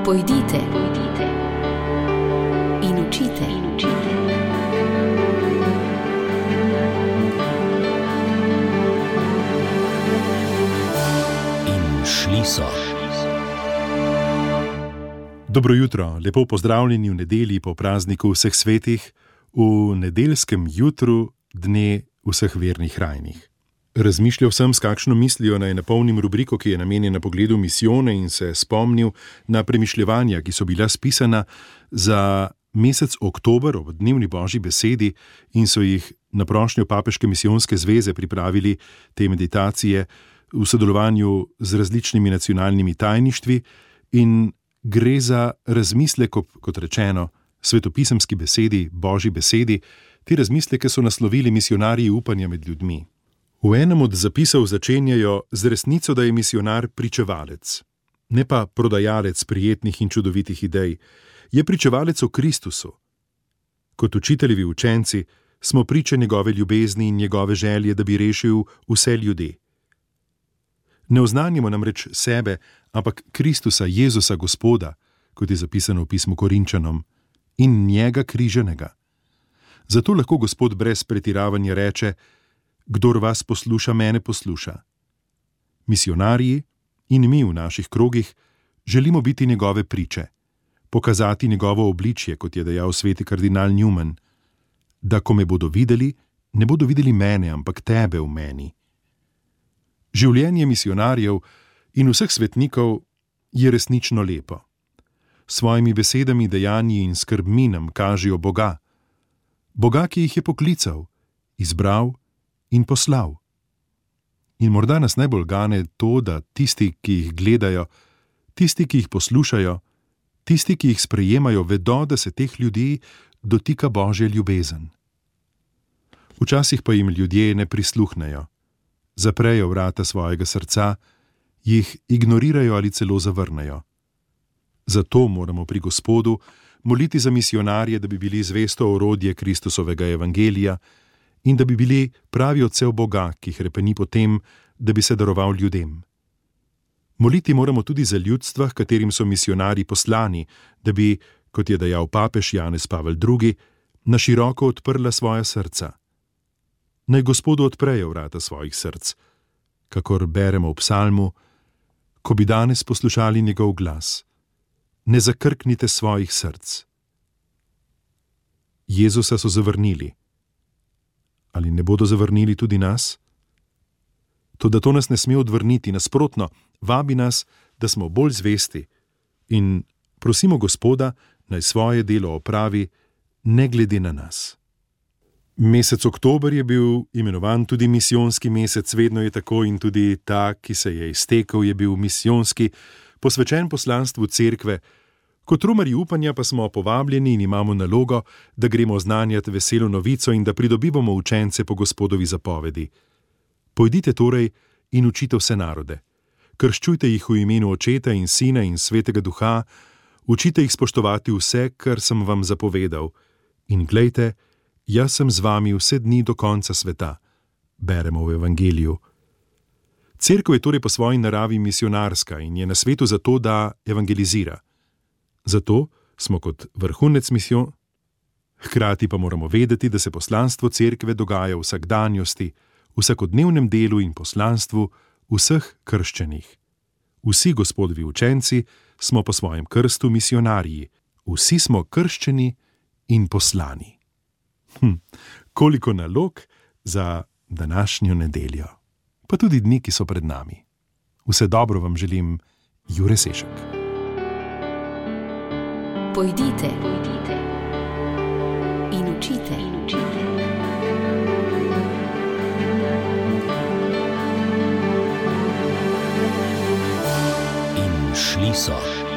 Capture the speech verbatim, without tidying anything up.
Pojdite, pojdite in učite, in učite. In šli so. Dobro jutro, lepo pozdravljeni v nedelji po prazniku vseh svetih, v nedeljskem jutru dne vseh vernih rajnih. Razmišljal sem, s kakšno mislijo naj napolnim rubriko, ki je namenjena pogledu misijone, in se spomnil na premišljevanja, ki so bila spisana za mesec oktober ob dnevni Božji besedi in so jih na prošnjo Papeške misijonske zveze pripravili te meditacije v sodelovanju z različnimi nacionalnimi tajništvi, in gre za razmislek, kot rečeno, svetopisemski besedi, Božji besedi. Ti razmisleke so naslovili Misijonarji upanja med ljudmi. V enem od zapisov začenjajo z resnico, da je misijonar pričevalec, ne pa prodajalec prijetnih in čudovitih idej. Je pričevalec o Kristusu. Kot učiteljevi učenci smo priče njegove ljubezni in njegove želje, da bi rešil vse ljudi. Ne oznanjamo namreč sebe, ampak Kristusa, Jezusa, Gospoda, kot je zapisano v pismu Korinčanom, in njega križanega. Zato lahko Gospod brez pretiravanja reče: kdor vas posluša, mene posluša. Misijonarji in mi v naših krogih želimo biti njegove priče, pokazati njegovo obličje, kot je dejal sveti kardinal Newman, da ko me bodo videli, ne bodo videli mene, ampak tebe v meni. Življenje misijonarjev in vseh svetnikov je resnično lepo. S svojimi besedami, dejanji in skrbmi nam kažejo Boga. Boga, ki jih je poklical, izbral in poslal. In morda nas najbolj gane to, da tisti, ki jih gledajo, tisti, ki jih poslušajo, tisti, ki jih sprejemajo, vedo, da se teh ljudi dotika Božja ljubezen. Včasih pa jim ljudje ne prisluhnejo, zaprejo vrata svojega srca, jih ignorirajo ali celo zavrnejo. Zato moramo pri Gospodu moliti za misijonarje, da bi bili zvesto orodje Kristusovega evangelija in da bi bili pravi odsev Boga, ki hrepeni po tem, da bi se daroval ljudem. Moliti moramo tudi za ljudstva, katerim so misijonarji poslani, da bi, kot je dejal papež Janez Pavel drugi, na široko odprla svoja srca. Naj Gospodu odprejo vrata svojih src, kakor beremo v psalmu: ko bi danes poslušali njegov glas, ne zakrknite svojih src. Jezusa so zavrnili. Ali ne bodo zavrnili tudi nas? Toda to nas ne sme odvrniti, nasprotno, vabi nas, da smo bolj zvesti, in prosimo Gospoda, naj svoje delo opravi, ne glede na nas. Mesec oktober je bil imenovan tudi misijonski mesec, vedno je tako, in tudi ta, ki se je iztekel, je bil misijonski, posvečen poslanstvu cerkve. Kot romarji upanja pa smo povabljeni in imamo nalogo, da gremo oznanjati veselo novico in da pridobivamo učence po Gospodovi zapovedi. Pojdite torej in učite vse narode. Krščujte jih v imenu Očeta in Sina in Svetega Duha, učite jih spoštovati vse, kar sem vam zapovedal. In glejte, jaz sem z vami vse dni do konca sveta, beremo v evangeliju. Cerkev je torej po svoji naravi misijonarska in je na svetu zato, da evangelizira. Zato smo kot vrhunec misijon, hkrati pa moramo vedeti, da se poslanstvo cerkve dogaja v vsakdanjosti, vsakodnevnem delu in poslanstvu vseh krščenih. Vsi Gospodovi učenci smo po svojem krstu misijonarji, vsi smo krščeni in poslani. Hm, koliko nalog za današnjo nedeljo, pa tudi dni, ki so pred nami. Vse dobro vam želim, Jure Sešek. Pojdite, pojdite in učite, in učite. In šli so.